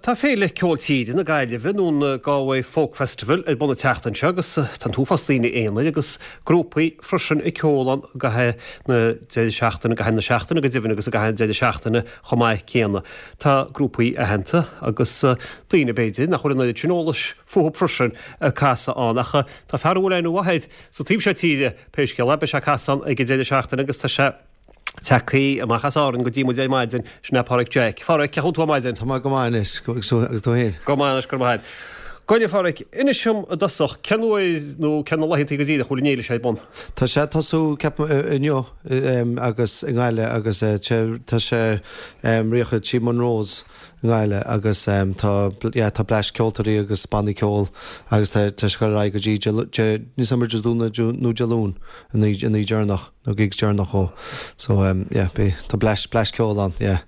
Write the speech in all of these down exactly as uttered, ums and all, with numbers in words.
Tá Féile Ceol Tíre na Gaillimhe nó an Galway Folk Festival ar bun an tseachtain seo agus tá an t-uafás daoine aonair agus grúpaí freisin ag ceol ann i gcaitheamh na deireadh seachtaine, i gcaitheamh na seachtaine go deimhin agus i gcaitheamh an deireadh seachtaine chomh maith céanna. Tá grúpaí aitheanta agus daoine b'fhéidir nach bhfuil an oiread sin eolais fúthu freisin ag casadh ann ach tá fear a bhfuil aithne mhaith air sa taobh seo tíre pé scéal é, beidh sé ag casadh ann ag an deireadh seachtaine agus tá sé tagtha amach as Árainn go dtí muid ar maidin, sin é Páraic Jack. Pháraic, cén chaoi a bhfuil tú ar maidin? Tá mé go maith anois, agus tú féin? Go maith anois, go raibh maith agat. Gabh i leith, a Pháraic, inis dom i dtosach, cén uair nó cé na laethanta go díreach a bhfuil an fhéile seo ar bun? Tá sé ag tosú, ceapaim, inniu agus i nGaillimh agus tá sé ríocha trí Monroe's i nGaillimh agus tá, yeah, tá bleaist ceoltóirí agus bannaí ceoil agus tá sé ag dul ar aghaidh go dtí, níl 's agam ar Dé Domhnaigh nó Dé Luain, an oíche deireanach. Nó gigs deireanach ó. So um yeah beidh tá bleaist bleaist ceoil ann yeah.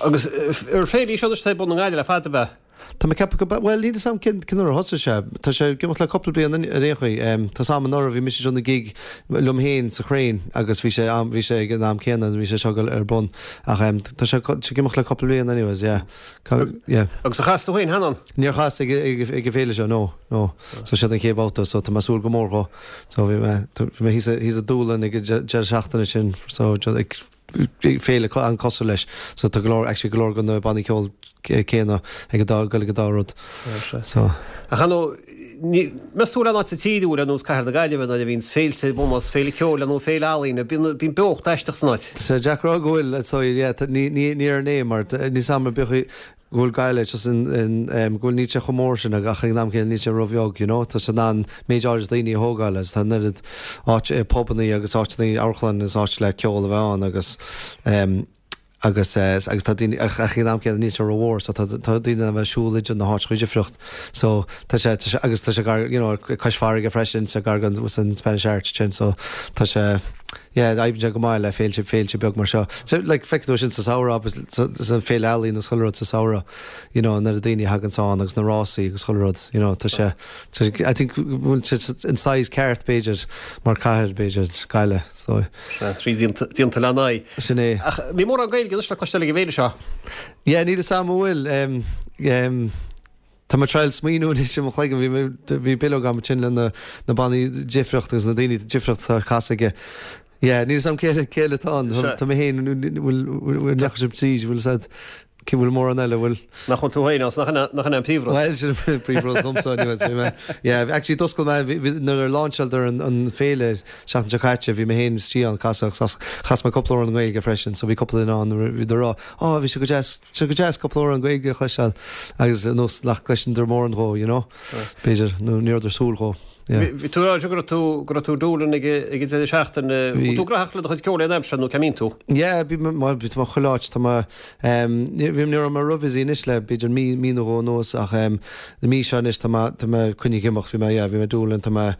Agus ar féile í seo anois atá ar bun i nGaillimh le fada ab ea? Tá mé ag ceapadh go bhuel níl 'fhios a'm cén cén uair a thosaigh sé. Tá sé ag imeacht le cúpla bliain ar aon chaoi. Um tá 's a'm anuraidh bhí mise ag déanamh gig liom féin sa Chrane agus bhí sé am bhí sé ag an am céanna bhí sé seo ar bun ach um tá sé tá sé ag imeacht le cúpla bliain anyways yeah. Yeah. Agus ar chas tú féin cheana ann? Níor chas ag ag ag an bhféile seo no no. So seo an chéad babhta so tá mé ag súil go mór dhó. So bhí mé bhí mé thíos thíos i Dúlainn ag an deireadh seachtaine sin so ag féile an-cosúil leis so tá go leor actually go leor de na bannaí ceoil céanna ag an dá ag dul ag an dá rud. So. Ach ar ndóigh ní meas tú le áit sa tír ar nós Cathair na Gaillimhe nuair a bhíonns féilte ar bun, más féile ceoil nó féile ealaíne, bíonn bíonn beocht aisteach san áit. Tá sé deacair a rá go bhfuil so yeah ní ní ní ar an é mar níl 's a'm ar bith go bhfuil Gaillimh just in in go bhfuil níl sé chomh mór sin ach ag an am céanna níl sé róbheag you know tá sé in ann méid áirid daoine a thógáil agus tá an oiread áit pubannaí agus áiteanna amharclann agus áit le ceol a bheith ann agus um, agus agus tá daoine ach ag an am céanna níl sé rómhór so tá tá daoine in ann bheith ag siúl idir na háiteacha difriúla so tá sé tá sé agus tá sé gar you know cois farraige freisin sa gar don san Spanish Arch sin so tá sé yeah oibríonn sé go maith le féilte féilte beag mar seo. So like feicfidh tú sin sa samhradh agus san féile ealaíon agus chuile rud sa samhradh you know an oiread daoine a thagann ann agus na rásaí agus chuile rud you know tá sé tá sé I think bhfuil sé an size ceart b'fhéidir mar cathair b'fhéidir Gaillimh so. Sea, trí déanta déanta le n-aghaidh. Sin é. Ach ní mórán Gaeilge anois le cloisteáil ag an bhféile seo. Yeah níl 'fhios a'm an bhfuil um, um, Tá mé ag triail smaoineamh anois i mo chloigeann, bhí mé, bhí bileog agam ansin le na, na bannaí difriúla agus na daoine difriúla atá ag casadh aige. Yeah, níl 'fhios a'm cé, cé eile atá ann. Tá mé féin, bhfuil, bhfuil, ndeachaigh sibh tríd, bhfuil 'fhios a'd, cé bhfuil mórán eile, bhfuil? Nach bhfuil tú féin ann, nach in, nach in é an príomhrud? Bhuel, sin an príomhrud dhomsa, anyways, bhí mé, yeah, actually d'oscail mé, bhí, bhí, nuair a lainseáladar an, an féile seachtain seo caite, bhí mé féin istigh ann, casadh, chas, chas mé cúpla amhrán i nGaeilge freisin, so bhí cúpla duine ann, bhí ag rá, Ó, bhí sé go deas, sé go deas cúpla amhrán Gaeilge a chloisteáil agus ar nós nach gcloiseann mórán dhó, you know, b'fhéidir, nó ní rabhadar ag súil dhó, yeah. Bhí tú ag rá go raibh tú, go raibh tú i Dúlainn ag ag an deireadh seachtaine. Bhfuil tú graitheach le do chuid ceoil aon aimsir nó cá mbíonn tú? Yeah, bhí mé, bhuel, tá mé chuile áit, tá mé, em, ní, bhí, ní raibh mé ró-busy anois le b'fhéidir mí, mí nó dhó anuas ach, em, na mí seo anois tá mé, tá mé coinnithe ag imeacht, bhí mé, yeah, bhí mé i Dúlainn, tá mé,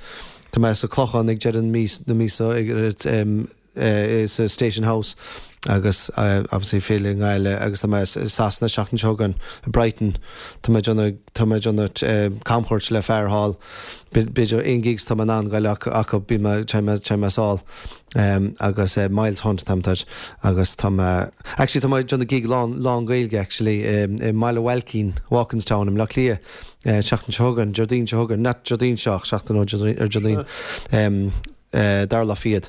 tá mé sa Clochán ag deireadh na mí, na míosa ag, em, sa Station House agus obviously féile i nGaillimh agus tá mé i Sasana seachtain seo chugainn i Brighton. Tá mé ag déanamh tá mé ag déanamh camchuairt le fear thall. B'fhéidir aon gigs tá mé in ann goil acu bí mé téim mé téim mé sall agus Miles Hunt tá mé agus tá mé actually tá mé ag déanamh gig lán lán Gaeilge actually i mBaile Bhailcín, Walkinstown i mBleá Cliath seachtain seo chugainn, Déardaoin seo chugainn, not Déardaoin seo ach seachtain ó ar Déardaoin. dara lá fichead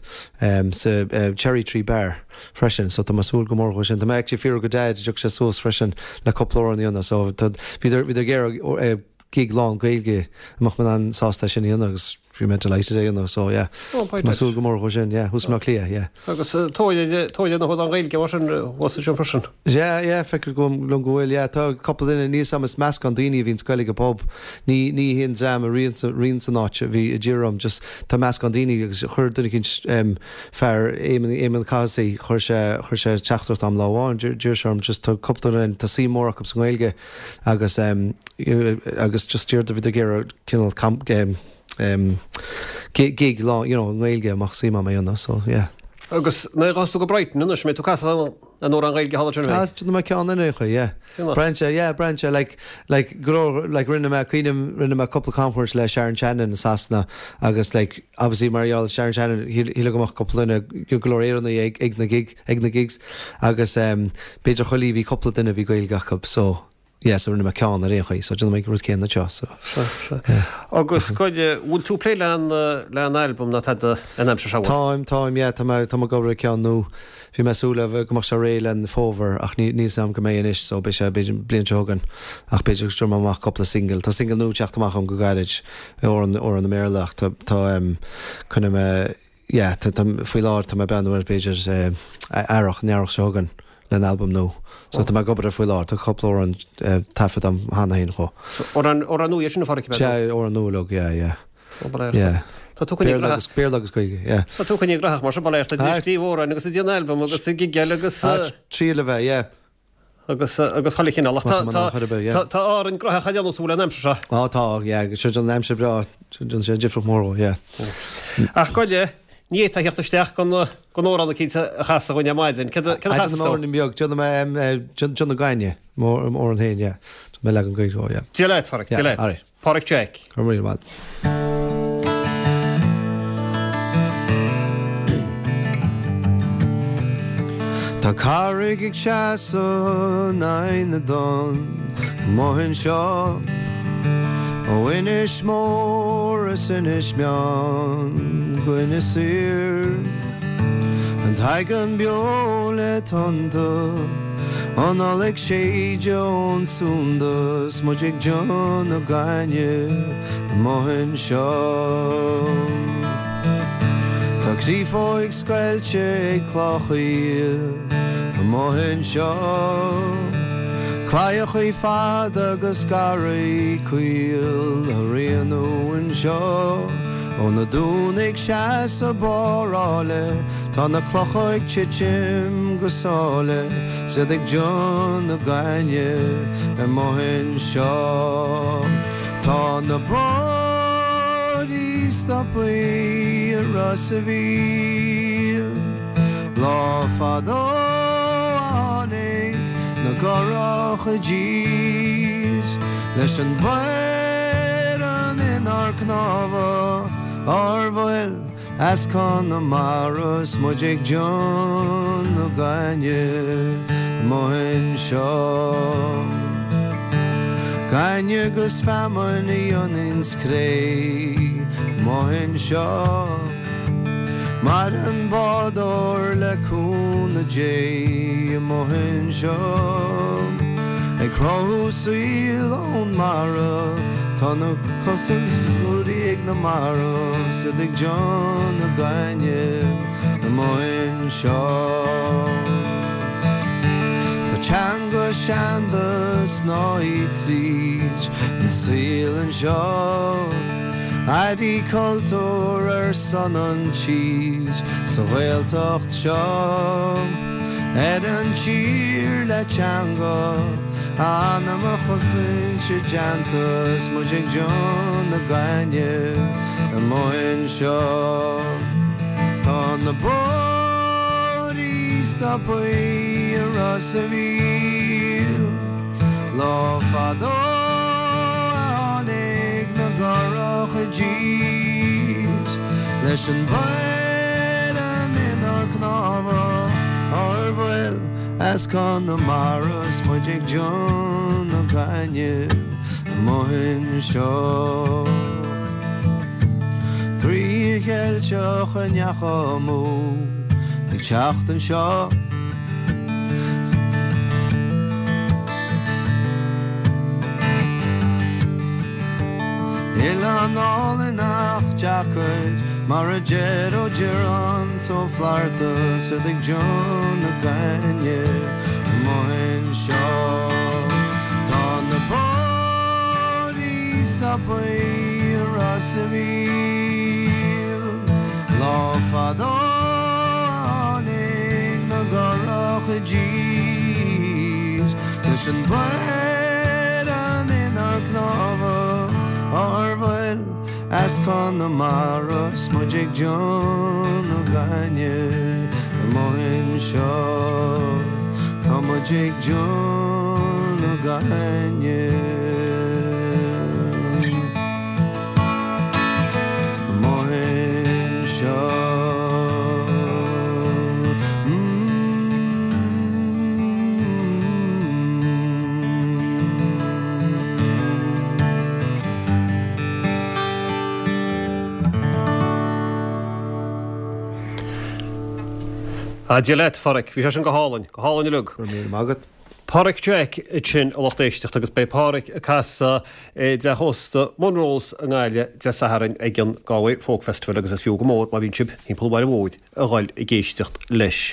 sa Cherry Tree Bar freisin so tá mé ag súil go mór dhó sin. Tá mé actually ag fiafraí go Daid an dtiocfadh sé suas freisin le cúpla amhrán a dhéanamh so tá bhíodar bhíodar ag iarraidh gig lán Gaeilge an mbeadh mé in ann sásta é sin a dhéanamh agus bhí mé delighted é a dhéanamh so yeah Oh tá mé ag súil go mór dhó sin yeah thuas i mBleá Cliath yeah. Agus tóir tóir na hamhráin Ghaeilge mar sin thuas ansin freisin. Yeah, yeah, feictear liom go bhfuil, yeah. Tá cúpla duine, níl 'fhios a'm, is meascán daoine a bhíonns ag goil ag an bpub. Ní, ní haon dream a ritheann san áit a bhí a d'iarr orm, just tá meascán daoine agus chuir duine eicínt, em, fear, Éamonn, Éamonn Cathasaigh, chuir sé, chuir sé teachtaireacht a'm lá amháin, d'iarr sé orm, just tá cúpla duine, tá suim mór acu sa nGaeilge agus, em, agus just d'iarr, bhíodar ag iarraidh cineál camp, em, em, gig lá, you know, i nGaeilge amach suim a'm a dhéanamh, so yeah. Agus nuair a ghabhfas tú go Brighton anois, an mbeidh tú ag casadh an amhrán Gaeilge thall ansin, an mbeidh? Déanfaidh mé ceann in aon chaoi, yeah. Braitheann sé, yeah, braitheann sé, like, like, go leor, like, rinne mé, cuimhním, rinne mé cúpla camchuairt le Sharon Shannon i Sasana agus, like, obviously mar gheall ar Sharon Shannon, shíl, shílfeá go mbeadh cúpla duine, go leor Éireannaigh ag, ag na gig, ag na gigs agus, em, b'fhéidir chuile bhí cúpla duine a bhí Gaeilge acu, so. yeah, so rinne mé ceann ar aon chaoi, so déanfaidh mé rud céanna anseo, so. Agus goide, bhfuil tú plé le an le an album ná tada an aimsir seo? Táim, táim, yeah, tá mé tá mé ag obair ar ceann nua. Bhí mé súil le go mbeadh sé réidh len fómhar ach ní níl 's agam go mbeidh anois so beidh sé b'fhéidir bliain seo chugainn ach b'fhéidir go dtabharfaidh mé amach cúpla single. Tá single nua teacht amach agam go gairid amhrán amhrán i mBéarla ach tá tá um, coinneoidh mé yeah, tá tá faoi láthair tá mé ag breathnú ar b'fhéidir eh, earrach, an earrach seo chugainn len album nua. So tá mé ag obair air faoi láthair, tá cúpla amhrán eh, taifeadta agam cheana féin chomh. So amhrán amhrán nua sin a Pháraic Sea, amhrán nua uilig, yeah, yeah. Yeah. Tá tú coinne Béarla agus Béarla agus Gaeilge, yeah. Tá tú coinne gnóthach mar sin bail ó Dhia ag scríobh amhráin agus ag déanamh album agus ag gigeáil agus Ah, triail a bheith, yeah. agus agus chuile chineál ach Má tá mar chur ar bith, yeah. tá tá Árainn gnóthach a dhéanamh súil an aimsir seo. Á tá, yeah, agus seo an aimsir breá, déanann sé difríocht mór dhó, yeah. Ach goile, ní fhéadfá theacht isteach gan gan amhrán eicínt a chasadh dhúinn ar maidin. Cad a cad a Ah, chasas déanfaidh mé tú? amhrán beag, déanfaidh mé um, eh, Déanamh Gainne, m'amhrán féin, yeah. Déanfaidh mé leagan Gaeilge dhó, yeah. Dia leat, Pháraic, Yeah, Dia leat. alright. Páraic Jack. Go raibh míle maith. Tá carraig ag seasamh in aghaidh na dtonn amuigh anseo Ó Inis Mór is Inis Meáin go Inis Oírr An t-aigéan beo le tonnta An ola ag séideadh ón Sunda 's muid ag déanamh gainne amuigh anseo. Tá créafóig scoilte ag clochaíl amuigh anseo. Claíochaí fada agus garraí caol á rianú anseo. Ó na dúna ag seasamh barr áille, tá na clocha ag titim go sáile, 's iad ag déanamh gainne amuigh anseo. Tá na bádaí stoptha i Ros a' Mhíl. Lá fadó a tháinig na gcurach i dtír leis an bhfearann inár cnámha ár bhfuil as Conamara 's muid ag déanamh gainne amuigh anseo. Gainne agus feamainn a dhéananns cré amuigh anseo. Maireann bádóir le cúnamh Dé amuigh anseo. Ag cruthú saoil ón mara, tá na cosa ag na mairbh, 's iad ag déanamh gainne amuigh anseo. Tá teanga seanda snáithe tríd an saol anseo. Airí cultúir ar son an tír sa Ghaeltacht seo. Ar an tír le teanga anam a chosaint i dteannta 's muid ag déanamh gainne amuigh anseo. Tá na bádaí stoptha i Ros a' Mhíl. Lá fadó a tháinig na gcurach i dtír leis an bhfearann inár cnámha ár bhfuil as Conamara 's muid ag déanamh gainne amuigh anseo. Draoi Cheilteach a ndeachaigh amú ag teacht anseo. Oileán álainn ach deacair mar a deir Ó Direáin 's Ó Flatharta 's iad ag déanamh gainne amuigh anseo. Tá na bádaí stoptha i Ros a' Mhíl. Lá fadó a tháinig na gcurach i dtír leis an bhfearann inár cnámha ár bhfuil as Conamara 's muid ag déanamh gainne amuigh anseo. Tá muid ag déanamh gainne amuigh anseo. Mm. A Dia leat, Phádraic, bhí sé sin go hálainn, go hálainn uilig. Go raibh míle maith agat. Pádraic Jack sin a lucht éisteachta agus beidh Pádraic ag casadh i dteach ósta Monroe's i nGaillimh Dé Sathairn ag an Galway Folk Festival agus is fiú go mór má bhíonn sibh timpeall an bhaile mhóir a dhul ag éisteacht leis.